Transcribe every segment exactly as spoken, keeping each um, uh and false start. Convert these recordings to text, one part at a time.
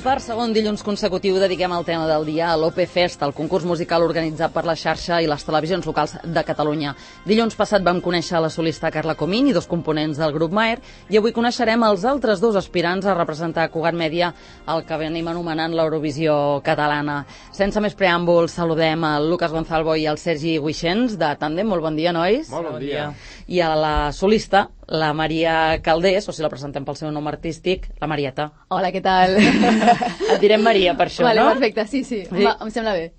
per segon dilluns consecutiu dediquem el tema del dia a l'O P Fest, el concurs musical organitzat per la xarxa i les televisions locals de Catalunya. Dilluns passat vam conèixer la solista Carla Comín i dos components del grup Maer, i avui coneixerem els altres dos aspirants a representar Cugat Mèdia, el que venim anomenant l'Eurovisió catalana. Sense més preàmbuls, saludem el Lucas Gonzalvo i el Sergi Guixens, de Tàndem. Molt bon dia, nois. Molt bon dia. I a la solista, la Maria Caldés, o si la presentem pel seu nom artístic, la Marieta. Hola, què tal? Et direm Maria per això, vale, no? Perfecte, sí, sí, sí. Va, em sembla bé.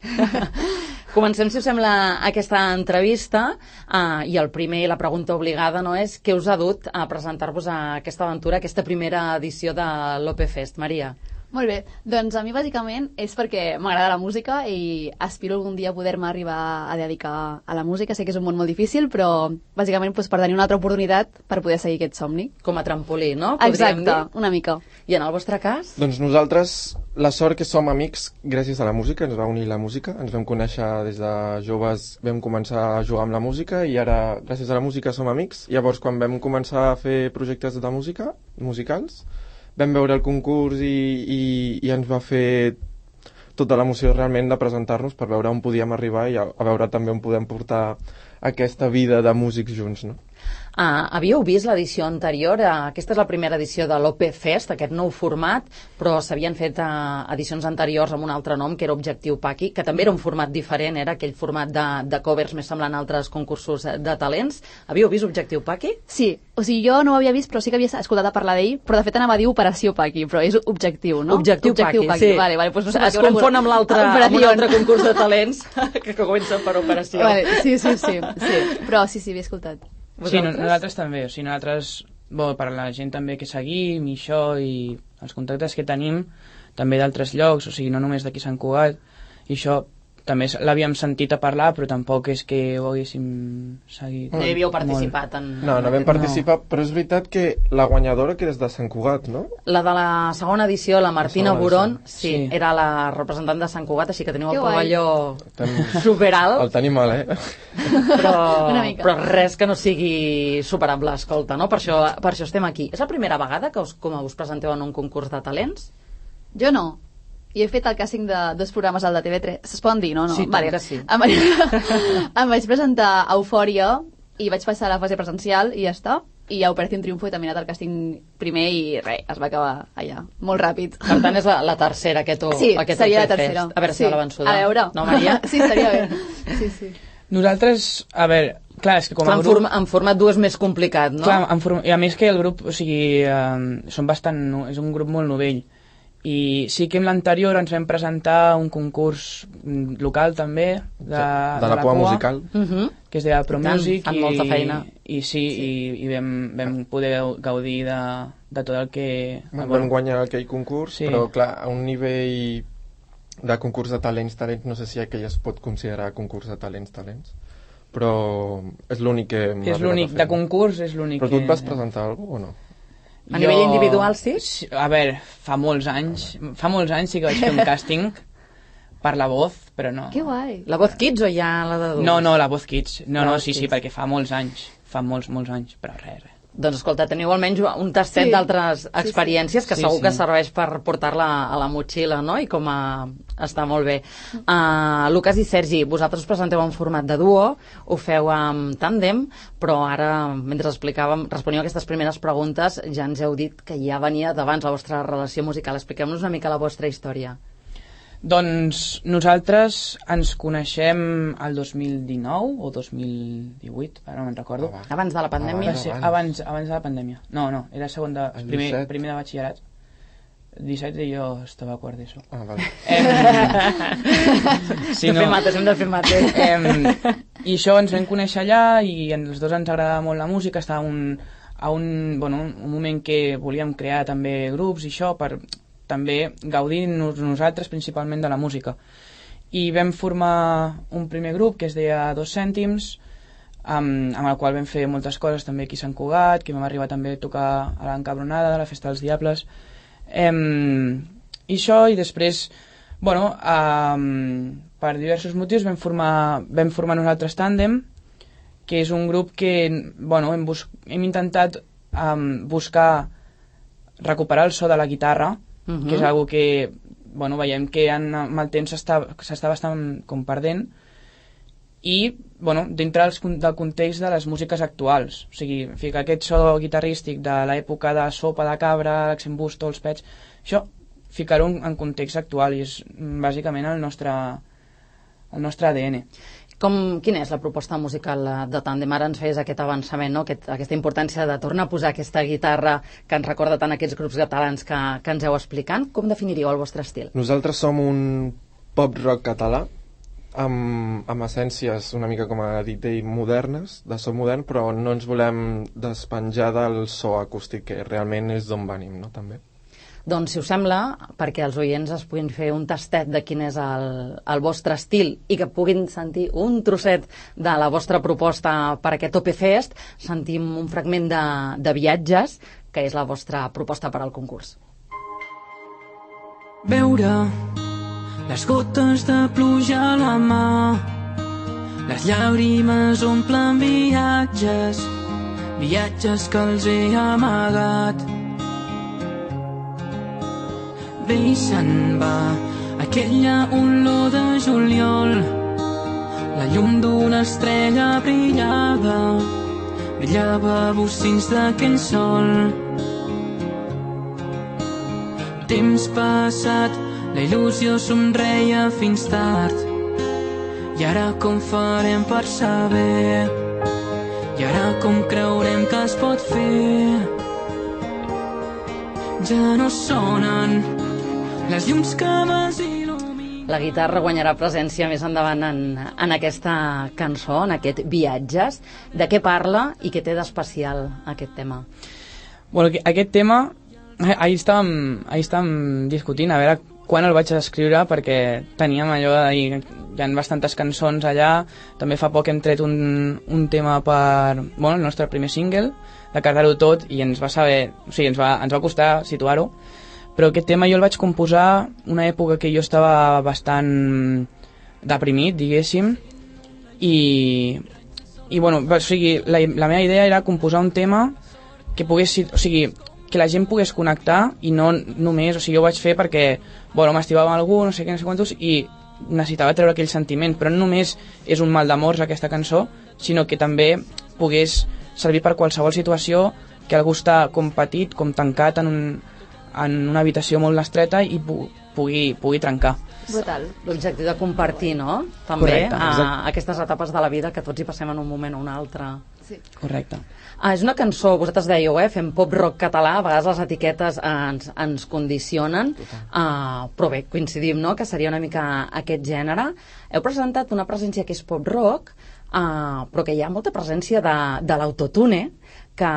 Comencem, si us sembla, aquesta entrevista, uh, i el primer, la pregunta obligada, no és què us ha dut a presentar-vos a aquesta aventura, a aquesta primera edició de l'O P Fest. Maria. Molt bé, doncs a mi bàsicament és perquè m'agrada la música i aspiro algun dia a poder-me arribar a dedicar a la música. Sé que és un món molt difícil, però bàsicament doncs, per tenir una altra oportunitat per poder seguir aquest somni. Com a trampolí, no? Exacte, dir? Una mica. I en el vostre cas? Doncs nosaltres, la sort que som amics gràcies a la música, ens va unir la música, ens vam conèixer des de joves, vam començar a jugar amb la música i ara gràcies a la música som amics. Llavors quan vam començar a fer projectes de música, musicals, vam veure el concurs i, i, i ens va fer tota l'emoció realment de presentar-nos per veure on podíem arribar i a, a veure també on podem portar aquesta vida de músics junts, no? Uh, havíeu vist l'edició anterior? Uh, aquesta és la primera edició de l'O P Fest, aquest nou format, però s'havien fet uh, edicions anteriors amb un altre nom, que era Objectiu Paqui, que també era un format diferent, era aquell format de, de covers més semblant a altres concursos de talents. Havíeu vist Objectiu Paqui? Sí, o sigui, jo no ho havia vist, però sí que havia escoltat a parlar d'ell, però de fet anava a dir Operació Paqui, però és Objectiu, no? Objectiu, Objectiu Paqui, Paqui, sí. Vale, vale, doncs no sé es confon amb l'altre amb un altre concurs de talents que comença per Operació. Vale, sí, sí, sí, sí, però sí, sí, havia escoltat. Sí, no, nosaltres també, o sigui, nosaltres, bo, per la gent també que seguim i això, i els contactes que tenim, també d'altres llocs, o sigui, no només d'aquí Sant Cugat, i això també l'havíem sentit a parlar, però tampoc és que ho haguéssim seguit. No hi havíeu participat en... No, no vam participar, no. Però és veritat que la guanyadora que és de Sant Cugat, no? La de la segona edició, la Martina la Boron, sí, sí, era la representant de Sant Cugat, així que teniu que el pavelló Ten... superalt. El tenim mal, eh? Però, però res que no sigui superable, escolta, no? Per això, per això estem aquí. És la primera vegada que us, com us presenteu en un concurs de talents? Jo no. I he fet el càsting de dos programes al de T V tres. Es poden dir, no? no? Sí, vale. que sí. Em vaig, em vaig presentar a Eufòria i vaig passar a la fase presencial i ja està. I a Operación Triunfo i també he anat al càsting primer i res, es va acabar allà, molt ràpid. Per tant, és la, la tercera, aquest, sí, aquest seria la tercera. A veure si sí. la vençuda. A veure. No, Maria? Sí, estaria bé. Sí, sí. Nosaltres, a veure, clar, és que com a en grup... Forma, en format dur és més complicat, no? Clar, en form... i a més que el grup, o sigui, eh, són bastant... és un grup molt novell. I sí que en l'anterior ens vam presentar un concurs local també de, de, de la, la cua musical uh -huh. que es deia Pro Music i, molta feina. i sí, sí. i, i vam, vam poder gaudir de, de tot el que... Vam bueno, guanyar aquell concurs, sí. Però clar, a un nivell de concurs de talents, talents, no sé si aquell es pot considerar concurs de talents, talents, però és l'únic que... És l'únic, de concurs és l'únic que... Però tu et vas que... presentar alguna cosa o no? A jo... nivell individual, sí? A veure, fa molts anys, fa molts anys sí que vaig fer un càsting per La Voz, però no. Que guai. La Voz Kids o ja la d'adults? No, no, La Voz Kids. No, la no, Voz sí, Kids. sí, perquè fa molts anys, fa molts, molts anys, però res, res. Doncs escolta, teniu almenys un tastet sí. d'altres experiències que sí, segur sí. que serveix per portar-la a la motxilla, no? I com a... està molt bé. Uh, Lucas i Sergi, vosaltres us presenteu en format de duo, ho feu amb tàndem, però ara, mentre explicàvem, responíeu a aquestes primeres preguntes, ja ens heu dit que ja venia d'abans la vostra relació musical. Expliqueu-nos una mica la vostra història. Doncs nosaltres ens coneixem el dos mil dinou o dos mil divuit, ara no me'n recordo. Ah, abans de la pandèmia? Abans, abans, abans de la pandèmia. No, no, era segon de, primer, primer de batxillerat. disset i jo estava a quart d'ESO. Ah, vale. Em, si no, de fer mates, hem de fer mates. Em, I això ens vam conèixer allà i els dos ens agradava molt la música, estava un, a un, bueno, un moment que volíem crear també grups i això per també gaudir nos, nosaltres principalment de la música. I vam formar un primer grup que es deia Dos Cèntims, amb, amb el qual vam fer moltes coses també aquí a Sant Cugat, que vam arribar també a tocar a l'Encabronada, de la Festa dels Diables. Em, i això, i després, bueno, um, per diversos motius vam formar, vam formar nosaltres Tàndem, que és un grup que, bueno, hem, bus hem intentat um, buscar recuperar el so de la guitarra uh-huh. que és algo que, bueno, veiem que en, amb el temps s'està bastant com perdent, i, bueno, dintre dels, del context de les músiques actuals. O sigui, ficar aquest so guitarrístic de l'època de Sopa de Cabra, l'Accent Busto, els Pets, això, ficar-ho en context actual, i és bàsicament el nostre, el nostre A D N. Com, quina és la proposta musical de Tàndem? Ara ens feies aquest avançament, no? Aquest, aquesta importància de tornar a posar aquesta guitarra que ens recorda tant aquests grups catalans que, que ens heu explicant. Com definiríeu el vostre estil? Nosaltres som un pop-rock català, amb, amb essències una mica com a dit ell modernes, de so modern, però no ens volem despenjar del so acústic, que realment és d'on venim, no? També. Doncs, si us sembla, perquè els oients es puguin fer un tastet de quin és el, el vostre estil i que puguin sentir un trosset de la vostra proposta per aquest O P Fest, sentim un fragment de, de Viatges, que és la vostra proposta per al concurs. Veure les gotes de pluja a la mà, les llàgrimes omplen viatges, viatges que els he amagat. Ve i se'n va aquella olor de juliol, la llum d'una estrella brillava, brillava a bocins d'aquell sol. Temps passat, la il·lusió somreia fins tard, i ara com farem per saber, i ara com creurem que es pot fer? Ja no sonen les llums que vas il·luminar. La guitarra guanyarà presència més endavant en, en aquesta cançó, en aquest Viatges. De què parla i què té d'especial aquest tema? Bueno, aquest tema, ahir estàvem, ahir estàvem discutint a veure quan el vaig escriure, perquè teníem allò de dir, hi ha bastantes cançons allà. També fa poc hem tret un, un tema per, bueno, el nostre primer single, de Carregar-ho tot, i ens va saber, o sigui, ens va, ens va costar situar-ho. Però aquest tema jo el vaig composar una època que jo estava bastant deprimit, diguéssim, i, i bueno, o sigui, la, la meva idea era composar un tema que pogués, o sigui, que la gent pogués connectar, i no només, o sigui, jo ho vaig fer perquè, bueno, m'estimava amb algú, no sé què, no sé quantos, i necessitava treure aquell sentiment, però no només és un mal d'amors aquesta cançó, sinó que també pogués servir per qualsevol situació que algú està com petit, com tancat en un en una habitació molt estreta i pu pugui, pugui trencar. Brutal. L'objectiu de compartir, no? També Correcte, a, aquestes etapes de la vida que tots hi passem en un moment o un altre. Sí. Correcte. Ah, és una cançó, vosaltres dèieu, eh, fem pop-rock català, a vegades les etiquetes ens, ens condicionen, uh, però bé, coincidim, no?, que seria una mica aquest gènere. Heu presentat una presència que és pop-rock, uh, però que hi ha molta presència de, de l'autotune, que,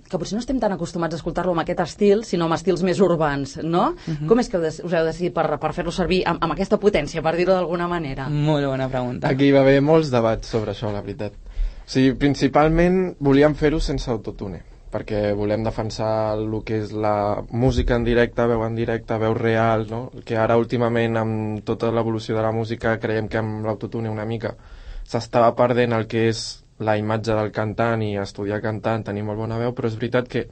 que potser no estem tan acostumats a escoltar-lo amb aquest estil, sinó amb estils més urbans, no? Uh-huh. Com és que us heu decidit per, per fer-lo servir amb, amb aquesta potència, per dir-ho d'alguna manera? Molt bona pregunta. Aquí hi va haver molts debats sobre això, la veritat. O sigui, principalment volíem fer-ho sense autotune, perquè volem defensar el que és la música en directe, veu en directe, veu real, no? Que ara últimament amb tota l'evolució de la música creiem que amb l'autotune una mica s'estava perdent el que és la imatge del cantant i estudiar cantant, tenir molt bona veu, però és veritat que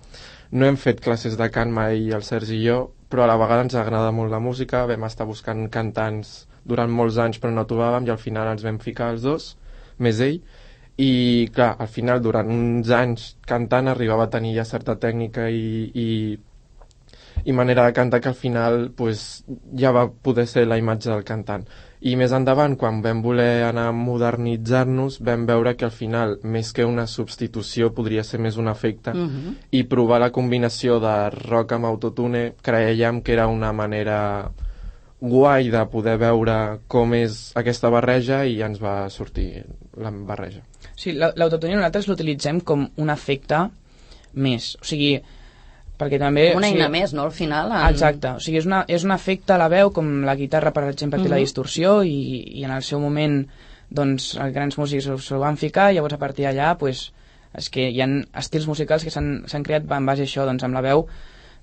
no hem fet classes de cant mai el Sergi i jo, però a la vegada ens agrada molt la música, vam estar buscant cantants durant molts anys però no trobàvem, i al final ens vam ficar els dos, més ell, i clar, al final durant uns anys cantant arribava a tenir ja certa tècnica i, i, i manera de cantar que al final pues, ja va poder ser la imatge del cantant. I més endavant, quan vam voler anar a modernitzar-nos, vam veure que al final, més que una substitució, podria ser més un efecte, uh-huh. i provar la combinació de rock amb autotune, creiem que era una manera guai de poder veure com és aquesta barreja, i ens va sortir la barreja. Sí, l'autotune nosaltres l'utilitzem com un efecte més, o sigui, perquè també... Com una o sigui, eina més, no?, al final. En... Exacte, o sigui, és, una, és un efecte a la veu, com la guitarra, per exemple, té uh-huh. la distorsió, i, i en el seu moment, doncs, els grans músics s'ho van ficar, i llavors a partir d'allà, pues, és que hi ha estils musicals que s'han creat en base a això, doncs amb la veu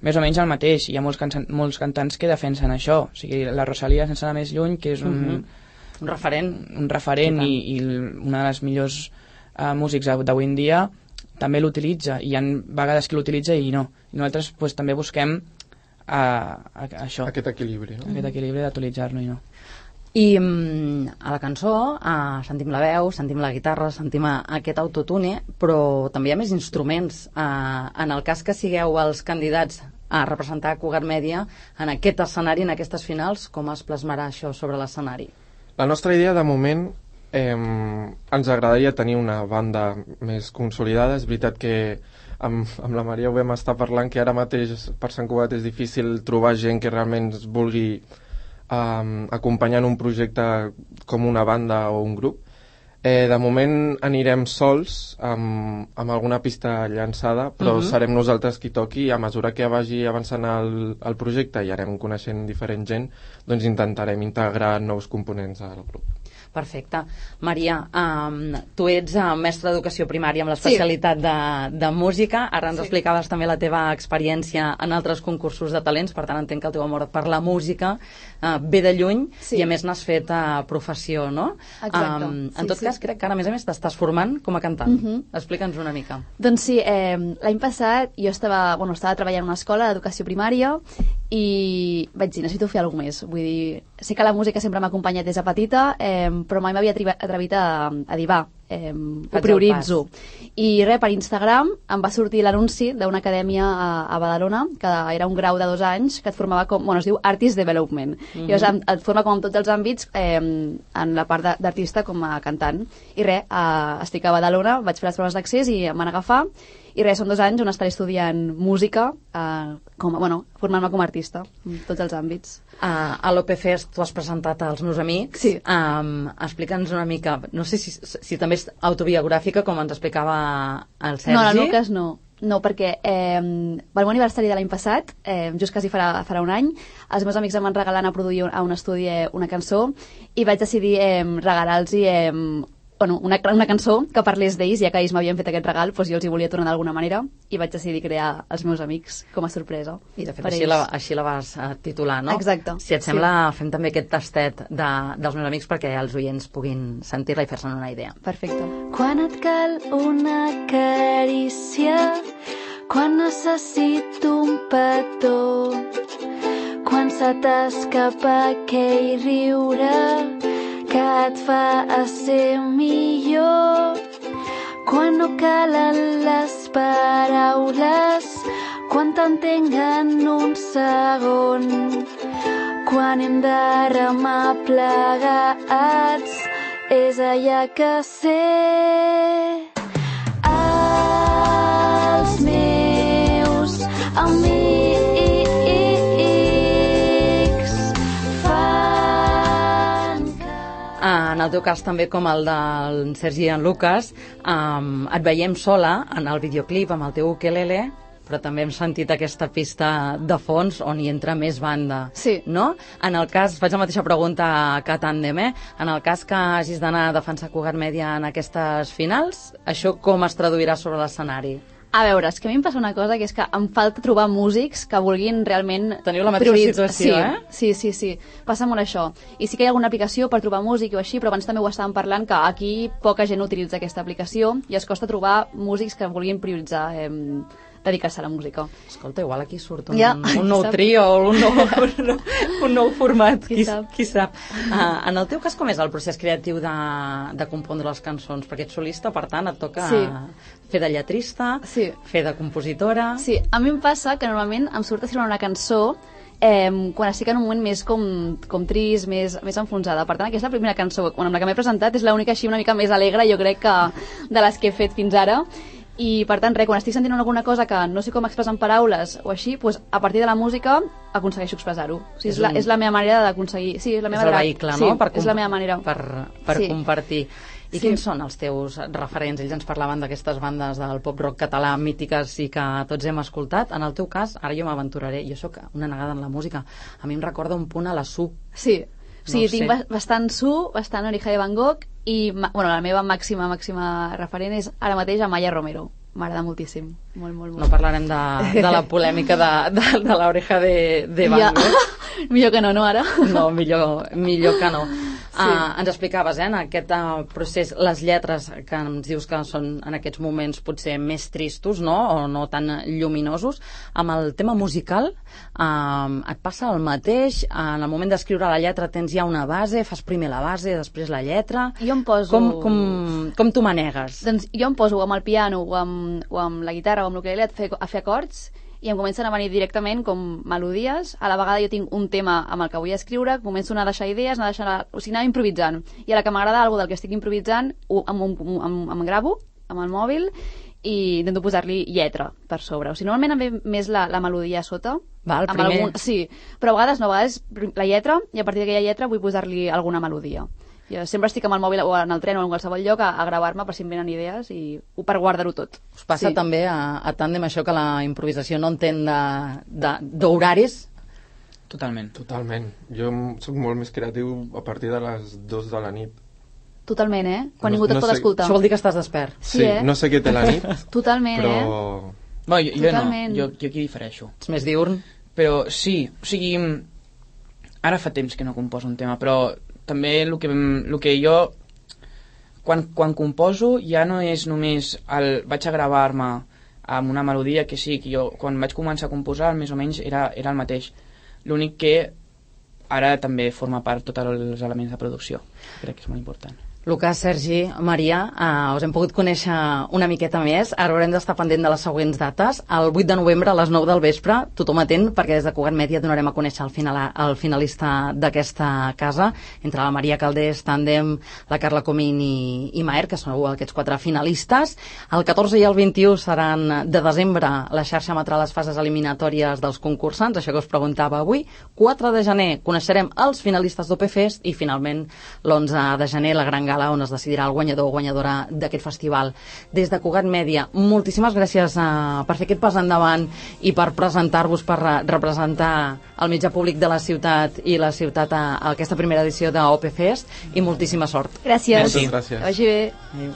més o menys el mateix. Hi ha molts, can molts cantants que defensen això, o sigui, la Rosalia, sense anar més lluny, que és un... Uh-huh. Un referent. Un referent i, i una de les millors uh, músics d'avui en dia, també l'utilitza, i hi ha vegades que l'utilitza i no. I nosaltres pues, també busquem a, a, a això, aquest equilibri, no? aquest equilibri d'actualitzar-nos, no? I mm, a la cançó eh, sentim la veu, sentim la guitarra, sentim aquest autotune, però també hi ha més instruments. Eh, en el cas que sigueu els candidats a representar Cugat Mèdia en aquest escenari, en aquestes finals, com es plasmarà això sobre l'escenari? La nostra idea, de moment, eh, ens agradaria tenir una banda més consolidada. És veritat que amb, amb la Maria ho vam estar parlant, que ara mateix per Sant Cugat és difícil trobar gent que realment es vulgui Um, acompanyant un projecte com una banda o un grup. Eh, de moment anirem sols amb, amb alguna pista llançada, però uh-huh. serem nosaltres qui toqui, i a mesura que vagi avançant el, el projecte i anem coneixent diferent gent, doncs intentarem integrar nous components al grup. Perfecte. Maria, um, tu ets uh, mestra d'educació primària amb l'especialitat sí. de, de música. Ara ens sí. explicaves també la teva experiència en altres concursos de talents, per tant entenc que el teu amor per la música uh, ve de lluny sí. i a més n'has fet uh, professió, no? Exacte. Um, en sí, tot sí. cas, crec que ara a més a més t'estàs formant com a cantant. Uh-huh. Explica'ns una mica. Doncs sí, eh, l'any passat jo estava, bueno, estava treballant en una escola d'educació primària i vaig dir, necessito fer alguna més. Vull dir, sé que la música sempre m'ha acompanyat des de petita, eh, però mai m'havia atrevit a, a dir, va, eh, ho prioritzo. I res, per Instagram em va sortir l'anunci d'una acadèmia a, a Badalona, que era un grau de dos anys, que et formava com, bueno, es diu Artist Development. Mm-hmm. Llavors et forma com en tots els àmbits, eh, en la part d'artista com a cantant. I res, eh, estic a Badalona, vaig fer les proves d'accés i em van agafar. I res, són dos anys on estaré estudiant música, eh, com, bueno, formant-me com a artista, en tots els àmbits. Uh, a l'O P Fest tu has presentat als meus amics. Sí. Um, explica'ns una mica, no sé si, si també és autobiogràfica, com ens explicava el Sergi. No, la Lucas no. No, perquè eh, pel meu aniversari de l'any passat, eh, just quasi farà, farà un any, els meus amics em van regalar a produir a un estudi eh, una cançó i vaig decidir eh, regalar-los eh, bueno, una, una cançó que parlés d'ells, ja que ells m'havien fet aquest regal, doncs jo els hi volia tornar d'alguna manera i vaig decidir crear Els meus amics com a sorpresa. I de fet així la, així la vas uh, titular, no? Exacte. Si et sembla, sí. fem també aquest tastet de, dels meus amics perquè els oients puguin sentir-la i fer-se'n una idea. Perfecte. Quan et cal una carícia, quan necessito un petó, quan se t'escapa aquell riure que et fa a ser millor, quan no calen les paraules, quan t'entenc en un segon, quan hem de remar plegats, és allà que sé. Els meus amics en el teu cas també com el del Sergi i en Lucas, um, et veiem sola en el videoclip amb el teu ukelele, però també hem sentit aquesta pista de fons on hi entra més banda. Sí. No? En el cas, faig la mateixa pregunta que a Tàndem, eh? En el cas que hagis d'anar a defensar Cugat Mèdia en aquestes finals, això com es traduirà sobre l'escenari? A veure, és que a mi em passa una cosa, que és que em falta trobar músics que vulguin realment... Teniu la mateixa prioritz... situació, sí, eh? Sí, sí, sí. Passa molt això. I sí que hi ha alguna aplicació per trobar músic o així, però abans també ho estàvem parlant, que aquí poca gent utilitza aquesta aplicació i es costa trobar músics que vulguin prioritzar eh, dedicar-se a la música. Escolta, igual aquí surt un, ja, un nou sap? trio o un nou, un, nou, un nou format, qui, qui sap. Qui sap. Uh, en el teu cas, com és el procés creatiu de, de compondre les cançons? Perquè ets solista, per tant, et toca sí. fer de lletrista, sí. fer de compositora... Sí, a mi em passa que normalment em surt a escriure una cançó eh, quan estic en un moment més com, com trist, més, més enfonsada. Per tant, aquesta primera cançó amb la que m'he presentat és l'única així una mica més alegre, jo crec, que de les que he fet fins ara. I per tant, res, quan estic sentint alguna cosa que no sé com expressar en paraules o així, doncs, a partir de la música aconsegueixo expressar-ho. O sigui, és, la, és la meva manera d'aconseguir... Sí, és la meva és el manera... vehicle, sí, no? Per és la meva manera. Per, per sí. compartir. I sí. quins són els teus referents? Ells ens parlaven d'aquestes bandes del pop-rock català mítiques i que tots hem escoltat. En el teu cas, ara jo m'aventuraré, jo sóc una negada en la música, a mi em recorda un punt a la Su. Sí, sí, no tinc ba bastant Su, bastant Oreja de Van Gogh i bueno, la meva màxima, màxima referent és ara mateix Amaya Romero. M'agrada moltíssim, molt, molt, molt. No parlarem de, de la polèmica de, de, de l'oreja de, de Van Gogh. Ja. Millor que no, no, ara? No, millor, millor que no. Uh, ens explicaves, eh, en aquest uh, procés, les lletres que ens dius que són en aquests moments potser més tristos, no?, o no tan lluminosos. Amb el tema musical, uh, et passa el mateix? En el moment d'escriure la lletra tens ja una base, fas primer la base, després la lletra... Jo em poso... Com, com, com t'ho manegues? Doncs jo em poso amb el piano o amb, o amb la guitarra o amb l'ukulele a fer, a fer acords i em comencen a venir directament com melodies. A la vegada jo tinc un tema amb el que vull escriure, començo a anar a deixar idees, anar a deixar, o sigui, anar improvisant. I a la que m'agrada alguna del que estic improvisant, ho, em, em, em, em gravo amb el mòbil i intento posar-li lletra per sobre. O sigui, normalment em ve més la, la melodia a sota. Va, el amb primer... algun, sí, però a vegades no, a vegades la lletra, i a partir d'aquella lletra vull posar-li alguna melodia. Jo sempre estic amb el mòbil o en el tren o en qualsevol lloc a, a gravar-me per si em venen idees i per guardar-ho tot. Us passa sí. també a, a Tàndem això que la improvisació no entén d'horaris? Totalment. Totalment. Jo soc molt més creatiu a partir de les dues de la nit. Totalment, eh? Quan no, ningú et no pot sé... escoltar. Això vol dir que estàs despert. Sí, sí eh? No sé què té la nit, Totalment, però... eh? No, jo, jo no, jo, jo aquí difereixo. Ets més diurn? Però sí, o sigui, ara fa temps que no composo un tema, però també el que, el que jo quan, quan composo ja no és només el vaig a gravar-me amb una melodia que sí, que jo quan vaig començar a composar més o menys era, era el mateix, l'únic que ara també forma part tots els elements de producció, crec que és molt important. Lucas, Sergi, Maria, eh, us hem pogut conèixer una miqueta més. Ara haurem d'estar pendent de les següents dates. El vuit de novembre a les nou del vespre, tothom atent, perquè des de Cugat Mèdia donarem a conèixer el, final, el finalista d'aquesta casa, entre la Maria Caldés, Tàndem, la Carla Comín i, i Maer, que són aquests quatre finalistes. El catorze i el vint-i-u seran de desembre la xarxa emetrà les fases eliminatòries dels concursants, això que us preguntava avui. quatre de gener coneixerem els finalistes d'O P Fest i finalment l'onze de gener la gran gala on es decidirà el guanyador o guanyadora d'aquest festival. Des de Cugat Mèdia, moltíssimes gràcies uh, per fer aquest pas endavant i per presentar-vos, per uh, representar el mitjà públic de la ciutat i la ciutat a, a aquesta primera edició d'O P Fest i moltíssima sort. Gràcies. Moltes gràcies. Que vagi bé. Adéu.